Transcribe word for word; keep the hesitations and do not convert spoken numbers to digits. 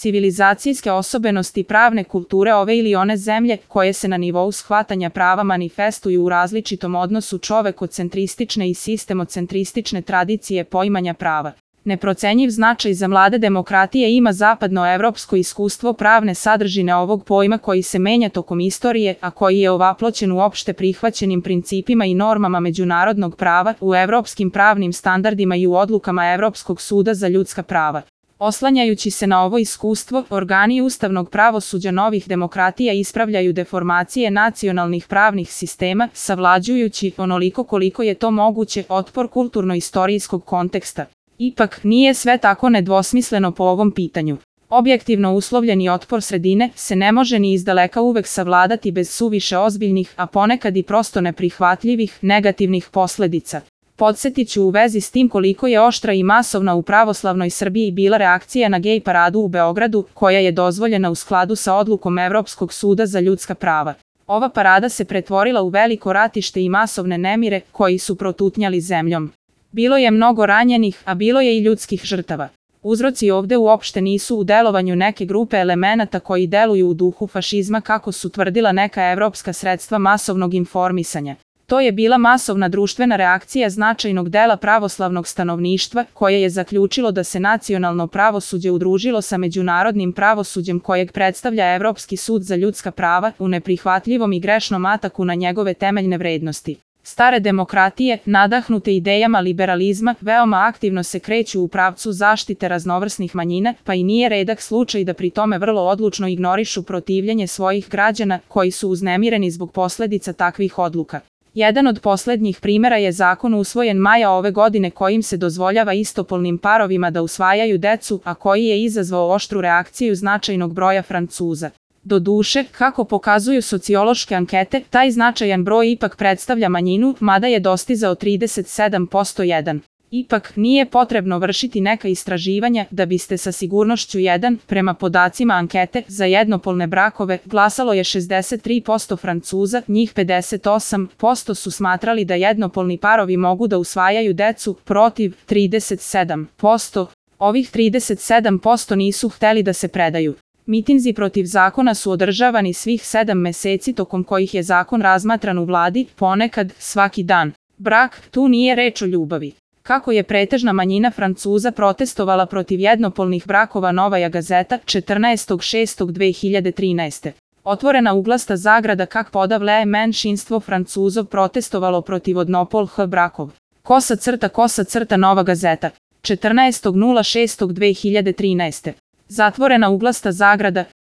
civilizacijske osobenosti pravne kulture ove ili one zemlje, koje se na nivou shvatanja prava manifestuju u različitom odnosu čovekocentristične i sistemocentristične tradicije poimanja prava. Neprocenjiv značaj za mlade demokratije ima zapadnoevropsko iskustvo pravne sadržine ovog pojma koji se menja tokom istorije, a koji je ovaploćen u opšte prihvaćenim principima i normama međunarodnog prava, u evropskim pravnim standardima i u odlukama Evropskog suda za ljudska prava. Oslanjajući se na ovo iskustvo, organi ustavnog pravosuđa novih demokratija ispravljaju deformacije nacionalnih pravnih sistema, savlađujući, onoliko koliko je to moguće, otpor kulturno-istorijskog konteksta. Ipak, nije sve tako nedvosmisleno po ovom pitanju. Objektivno uslovljeni otpor sredine se ne može ni izdaleka uvek savladati bez suviše ozbiljnih, a ponekad i prosto neprihvatljivih, negativnih posledica. Podsjetiću u vezi s tim koliko je oštra i masovna u pravoslavnoj Srbiji bila reakcija na gej paradu u Beogradu, koja je dozvoljena u skladu sa odlukom Evropskog suda za ljudska prava. Ova parada se pretvorila u veliko ratište i masovne nemire, koji su protutnjali zemljom. Bilo je mnogo ranjenih, a bilo je i ljudskih žrtava. Uzroci ovde uopšte nisu u delovanju neke grupe elemenata koji deluju u duhu fašizma kako su tvrdila neka evropska sredstva masovnog informisanja. To je bila masovna društvena reakcija značajnog dela pravoslavnog stanovništva, koje je zaključilo da se nacionalno pravosuđe udružilo sa međunarodnim pravosuđem kojeg predstavlja Evropski sud za ljudska prava u neprihvatljivom i grešnom ataku na njegove temeljne vrednosti. Stare demokratije, nadahnute idejama liberalizma, veoma aktivno se kreću u pravcu zaštite raznovrsnih manjina, pa i nije redak slučaj da pri tome vrlo odlučno ignorišu protivljenje svojih građana, koji su uznemireni zbog posledica takvih odluka. Jedan od poslednjih primera je zakon usvojen maja ove godine kojim se dozvoljava istopolnim parovima da usvajaju decu, a koji je izazvao oštru reakciju značajnog broja Francuza. Doduše, kako pokazuju sociološke ankete, taj značajan broj ipak predstavlja manjinu, mada je dostizao trideset sedam posto jedan. Ipak, nije potrebno vršiti neka istraživanja da biste sa sigurnošću jedan, prema podacima ankete, za jednopolne brakove, glasalo je šezdeset tri posto Francuza, njih pedeset osam posto su smatrali da jednopolni parovi mogu da usvajaju decu, protiv trideset sedam posto. Ovih trideset sedam posto nisu hteli da se predaju. Mitinzi protiv zakona su održavani svih sedam meseci tokom kojih je zakon razmatran u vladi, ponekad svaki dan. Brak, tu nije reč o ljubavi. Kako je pretežna manjina Francuza protestovala protiv jednopolnih brakova, Novaja gazeta, četrnaestog šestog dve hiljade trinaeste. Otvorena uglasta zagrada kak podavle menšinstvo Francuzov protestovalo protiv jednopolnih brakov. Kosa crta kosa crta Nova gazeta, četrnaestog šestog dve hiljade trinaeste. Zatvorena uglasta zagrada,